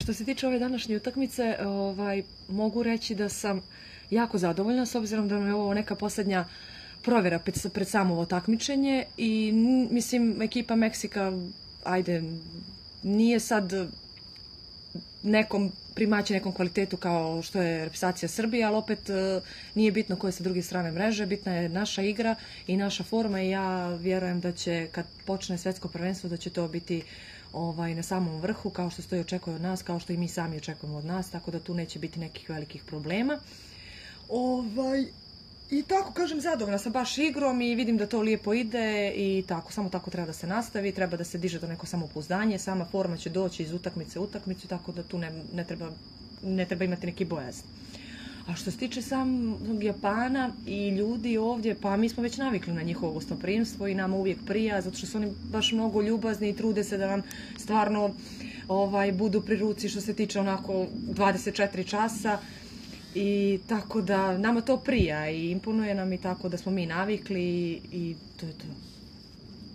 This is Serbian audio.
Što se tiče ove današnje utakmice, mogu reći da sam jako zadovoljna s obzirom da nam je ovo neka poslednja provjera pred samo ovo takmičenje i mislim ekipa Meksika, ajde, nije sad primaći nekom kvalitetu kao što je reprezentacija Srbije, ali opet nije bitno ko je sa druge strane mreže, bitna je naša igra i naša forma i ja vjerujem da će kad počne svetsko prvenstvo da će to biti na samom vrhu, kao što se to i očekuje od nas, kao što i mi sami očekujemo od nas, tako da tu neće biti nekih velikih problema. I tako, kažem, zadovoljna sam baš igrom i vidim da to lijepo ide i tako, samo tako treba da se nastavi, treba da se diže to neko samopouzdanje, sama forma će doći iz utakmice u utakmicu, tako da tu ne treba imati neki bojazan. A što se tiče samog Japana i ljudi ovdje, pa mi smo već navikli na njihovo gostoprimstvo i nama uvijek prija, zato što su oni baš mnogo ljubazni i trude se da nam stvarno budu pri ruci što se tiče onako 24 časa. I tako da nama to prija i imponuje nam i tako da smo mi navikli i to je to.